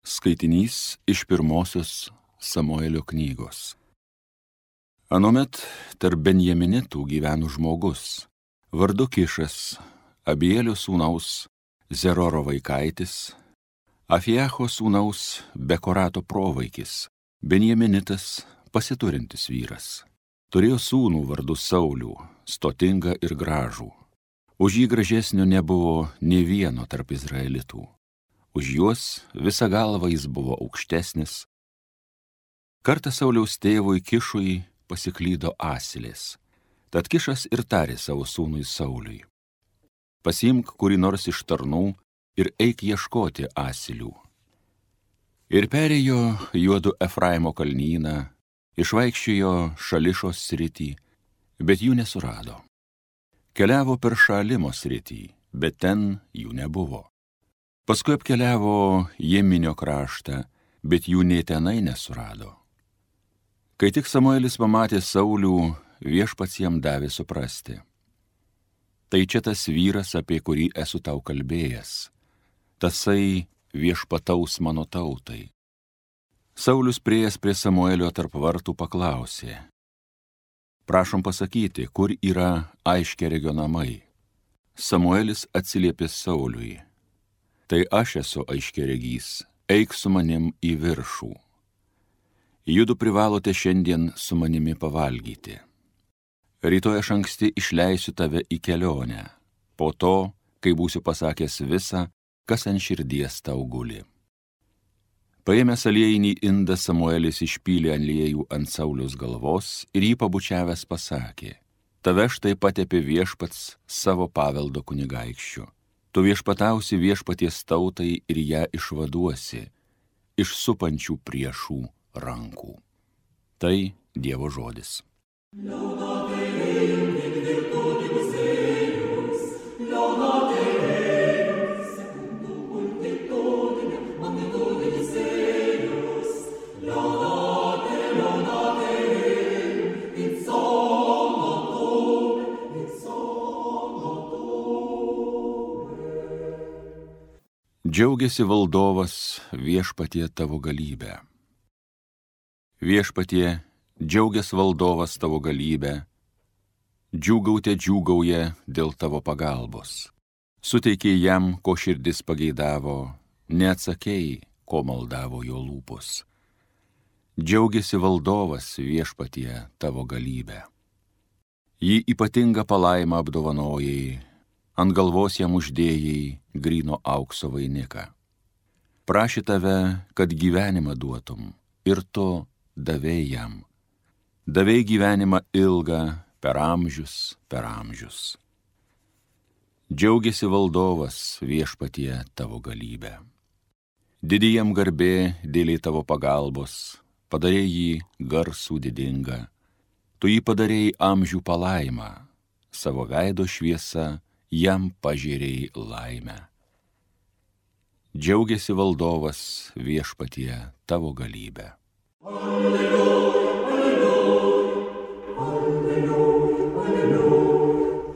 Skaitinys iš pirmosios Samuelio knygos. Anuomet tarp benjaminitų gyveno žmogus, vardu Kišas, Abielio sūnaus Zeroro vaikaitis, Afiacho sūnaus Bekorato provaikis, benjaminitas pasiturintis vyras. Turėjo sūnų vardu Saulių, stotingą ir gražų. Už jį gražesnio nebuvo nė vieno tarp izraelitų. Už juos visą galvą jis buvo aukštesnis. Kartą Sauliaus tėvui Kišui pasiklydo asilės. Tad Kišas ir tarė savo sūnui Sauliui: pasiimk kurį nors iš tarnų ir eik ieškoti asilių. Ir perėjo juodu Efraimo kalnyną, išvaikščiojo Šališos sritį, bet jų nesurado. Keliavo per Šalimo sritį, bet ten jų nebuvo. Paskui apkeliavo Jeminio kraštą, bet jų nė tenai nesurado. Kai tik Samuelis pamatė Saulių, viešpats jam davė suprasti: tai čia tas vyras, apie kurį esu tau kalbėjęs. Tasai viešpataus mano tautai. Saulius priėjęs prie Samuelio tarp vartų paklausė: prašom pasakyti, kur yra Aiškeregio namai? Samuelis atsiliepė Sauliui: tai aš esu Aiškeregys, eik su manim į viršų. Judu privalote šiandien su manimi pavalgyti. Rytoj aš anksti išleisiu tave į kelionę, po to, kai būsiu pasakęs visą, kas ant širdies tau guli. Paėmęs aliejinį indą, Samuelis išpylė aliejų ant Sauliaus galvos ir jį pabučiavęs pasakė: tave štai patepė viešpats savo paveldo kunigaikščiu. Tu viešpatausi viešpaties tautai ir ją išvaduosi iš supančių priešų rankų. Tai Dievo žodis. Džiaugiasi valdovas viešpatie tavo galybę. Viešpatie, džiaugias valdovas tavo galybę, džiūgautė džiūgauja dėl tavo pagalbos. Suteikei jam, ko širdis pageidavo, neatsakei, ko maldavo jo lūpos. Džiaugiasi valdovas viešpatie tavo galybę. Jį ypatingą palaimą apdovanojai, ant galvos jam uždėjai gryno aukso vainiką. Prašė tave, kad gyvenimą duotum, ir tu davei jam. Davei gyvenimą ilgą per amžius, per amžius. Džiaugiasi valdovas viešpatie tavo galybę. Didi jam garbė dėlei tavo pagalbos, padarei jį garsų didingą. Tu jį padarei amžių palaimą, savo veido šviesa jam pažėrei laimę. Džiaugiasi valdovas viešpatie tavo galybę. Alleluja, alleluja, alleluja.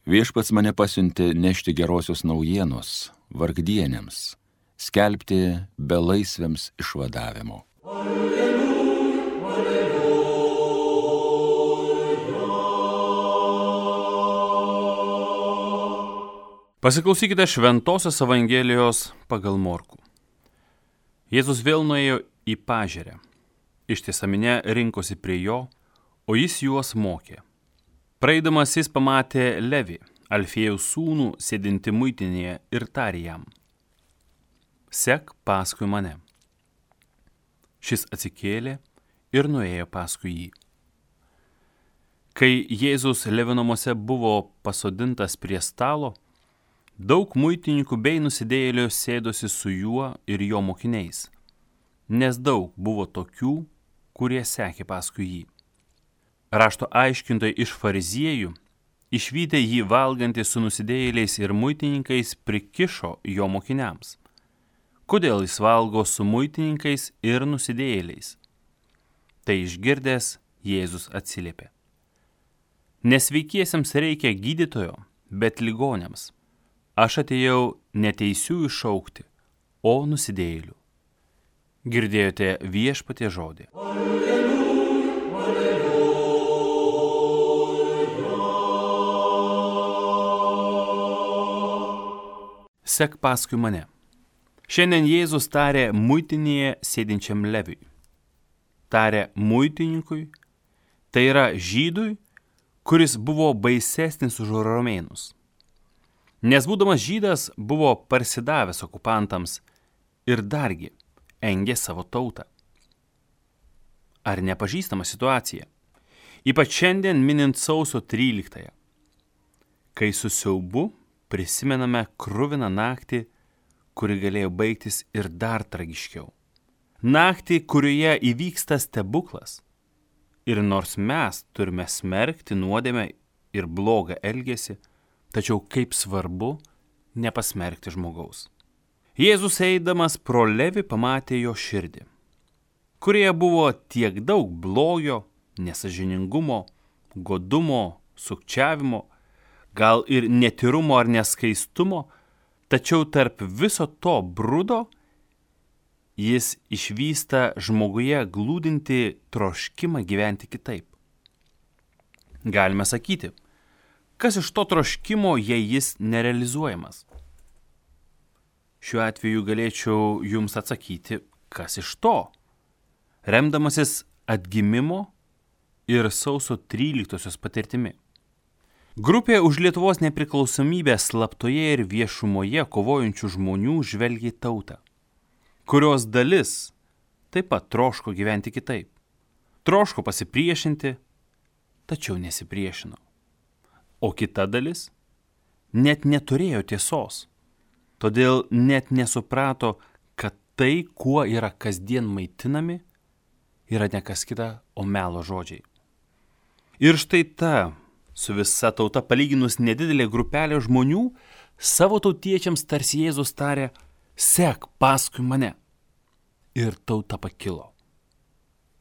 Viešpats mane pasiuntė nešti gerosios naujienos vargdienėms, skelbti belaisviams išvadavimo. Pasiklausykite Šventosios Evangelijos pagal Morkų. Jėzus vėl nuėjo į pažerę. Ištisa minia rinkosi prie jo, o jis juos mokė. Praeidamas jis pamatė Levį, Alfėjaus sūnų, sėdintį muitinėje, ir tarė jam: sek paskui mane. Šis atsikėlė ir nuėjo paskui jį. Kai Jėzus Levio namuose buvo pasodintas prie stalo, daug muitininkų bei nusidėjėlių sėdosi su juo ir jo mokiniais, nes daug buvo tokių, kurie sekė paskui jį. Rašto aiškintojai iš fariziejų, išvydę jį valgantį su nusidėjėliais ir muitininkais, prikišo jo mokiniams: kodėl jis valgo su muitininkais ir nusidėjėliais? Tai išgirdęs, Jėzus atsiliepė: nesveikiesiems reikia gydytojo, bet ligoniams. Aš atėjau ne teisiųjų šaukti, o nusidėjėlių. Girdėjote Viešpaties žodį. Sek paskui mane. Šiandien Jėzus tarė muitinėje sėdinčiam Leviui. Tarė muitininkui, tai yra žydui, kuris buvo baisesnis už romėnus. Nes būdamas žydas buvo parsidavęs okupantams ir dargi engė savo tautą. Ar nepažįstama situacija? Ypač šiandien minint sausio 13-ąją, kai su siaubu prisimename kruviną naktį, kuri galėjo baigtis ir dar tragiškiau. Naktį, kurioje įvyksta stebuklas. Ir nors mes turime smerkti nuodėmę ir blogą elgesį, tačiau kaip svarbu nepasmerkti žmogaus. Jėzus eidamas pro Levį pamatė jo širdį, kurioje buvo tiek daug blogio, nesąžiningumo, godumo, sukčiavimo, gal ir netyrumo ar neskaistumo, tačiau tarp viso to brudo jis išvysta žmoguje glūdinti troškimą gyventi kitaip. Galime sakyti, kas iš to troškimo, jei jis nerealizuojamas? Šiuo atveju galėčiau jums atsakyti, kas iš to, remdamasis atgimimo ir sausio 13-osios patirtimi. Grupė už Lietuvos nepriklausomybę slaptoje ir viešumoje kovojančių žmonių žvelgia į tautą, kurios dalis taip pat troško gyventi kitaip. Troško pasipriešinti, tačiau nesipriešino. O kita dalis net neturėjo tiesos, todėl net nesuprato, kad tai, kuo yra kasdien maitinami, yra ne kas kita, o melo žodžiai. Ir štai ta, su visa tauta palyginus nedidelė grupelė žmonių, savo tautiečiams tarsi Jėzus tarė, sek paskui mane. Ir tauta pakilo.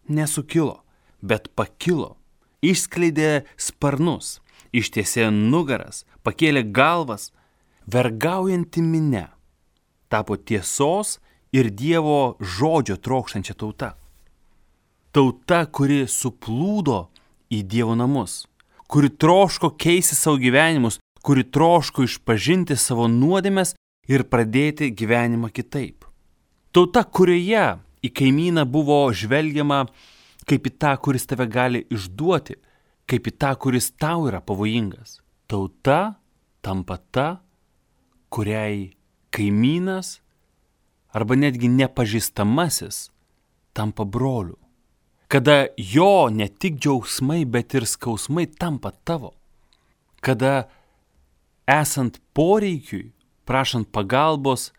Nesukilo, bet pakilo, išskleidė sparnus, ištiesė nugaras, pakėlė galvas, vergaujanti minia, tapo tiesos ir Dievo žodžio trokštančia tauta. Tauta, kuri suplūdo į Dievo namus, kuri troško keisti savo gyvenimus, kuri troško išpažinti savo nuodėmes ir pradėti gyvenimą kitaip. Tauta, kurioje į kaimyną buvo žvelgiama kaip į tą, kuris tave gali išduoti, kaip į tą, kuris tau yra pavojingas. Tauta tampa ta, kuriai kaimynas arba netgi nepažįstamasis tampa broliu. Kada jo ne tik džiaugsmai, bet ir skausmai tampa tavo. Kada esant poreikiui, prašant pagalbos,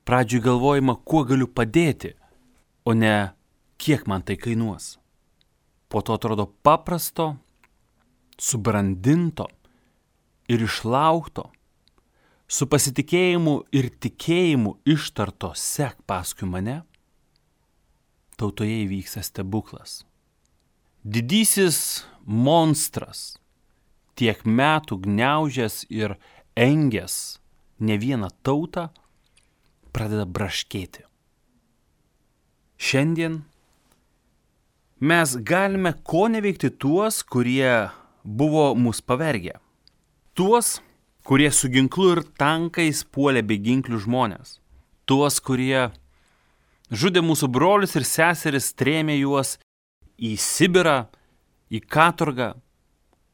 pradžiui galvojama, kuo galiu padėti, o ne kiek man tai kainuos. Po to atrodo paprasto, subrandinto ir išlaukto, su pasitikėjimu ir tikėjimu ištarto sek paskui mane, tautoje įvyksta stebuklas. Didysis monstras, tiek metų gniaužęs ir engęs ne vieną tautą, pradeda braškėti. Šiandien mes galime ko neveikti tuos, kurie buvo mus pavergę. Tuos, kurie su ginklu ir tankais puolė beginklių žmonės. Tuos, kurie žudė mūsų brolius ir seseris, trėmė juos į Sibirą, į katorgą,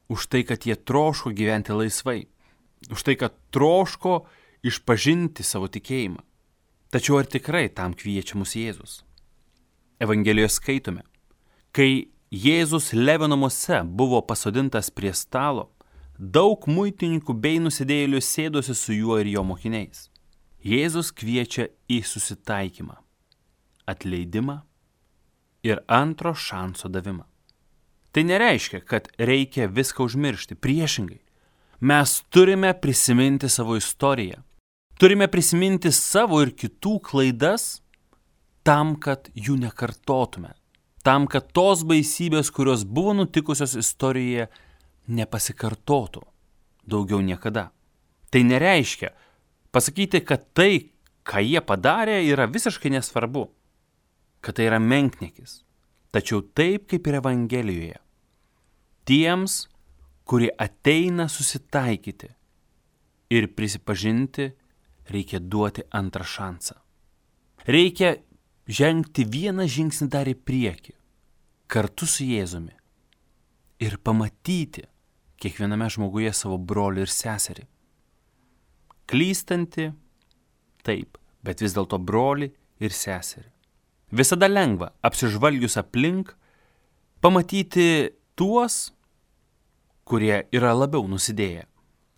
už tai, kad jie troško gyventi laisvai, už tai, kad troško išpažinti savo tikėjimą. Tačiau ar tikrai tam kviečia mus Jėzus? Evangelijoje skaitome, kai Jėzus Levio namuose buvo pasodintas prie stalo, daug muitininkų bei nusidėjėlių sėdosi su juo ir jo mokiniais. Jėzus kviečia į susitaikymą, atleidimą ir antro šanso davimą. Tai nereiškia, kad reikia viską užmiršti. Priešingai, mes turime prisiminti savo istoriją. Turime prisiminti savo ir kitų klaidas tam, kad jų nekartotume. Tam, kad tos baisybės, kurios buvo nutikusios istorijoje, nepasikartotų daugiau niekada. Tai nereiškia pasakyti, kad tai, ką jie padarė, yra visiškai nesvarbu. kad tai yra menkniekis, tačiau taip kaip ir Evangelijoje. Tiems, kurie ateina susitaikyti ir prisipažinti, reikia duoti antrą šansą. Reikia žengti vieną žingsnį dar į priekį, kartu su Jėzumi ir pamatyti kiekviename žmoguje savo brolį ir seserį. Klystantį, taip, bet vis dėlto brolį ir seserį. Visada lengva, apsižvalgius aplink, pamatyti tuos, kurie yra labiau nusidėję,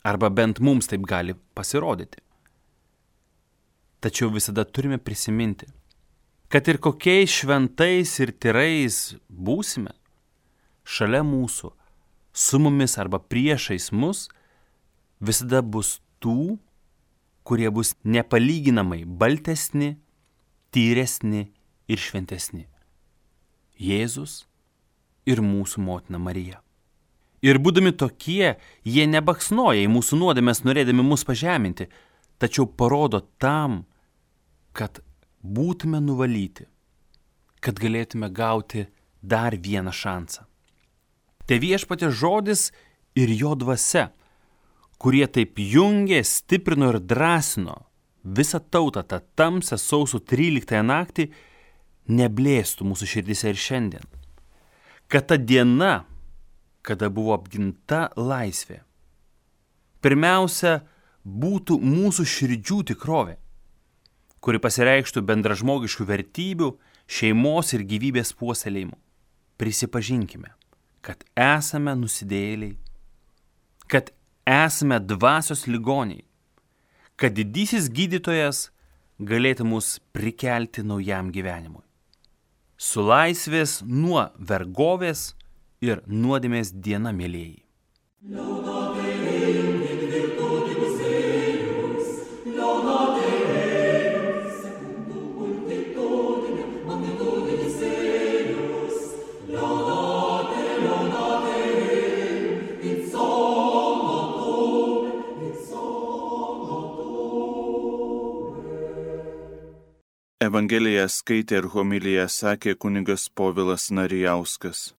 arba bent mums taip gali pasirodyti. Tačiau visada turime prisiminti, kad ir kokiais šventais ir tyrais būsime, šalia mūsų, su mumis arba priešais mus, visada bus tų, kurie bus nepalyginamai baltesni, tyresni ir šventesni. Jėzus ir mūsų motina Marija. Ir būdami tokie, jie nebaksnoja į mūsų nuodėmes, norėdami mus pažeminti, tačiau parodo tam, kad būtume nuvalyti, kad galėtume gauti dar vieną šansą. Tai viešpaties žodis ir jo dvasia, kurie taip jungė, stiprino ir drąsino visą tautą tą tamsią sausio 13 naktį, neblėstų mūsų širdise ir šiandien. Kad ta diena, kada buvo apginta laisvė, pirmiausia, būtų mūsų širdžių tikrovė, kuri pasireikštų bendražmogiškų vertybių, šeimos ir gyvybės puoselėjimu. Prisipažinkime, kad esame nusidėjėliai, kad esame dvasios ligoniai, kad didysis gydytojas galėtų mus prikelti naujam gyvenimui. Su laisvės nuo vergovės ir nuodėmės diena, mielieji. Evangeliją skaitė ir homiliją sakė kunigas Povilas Narijauskas.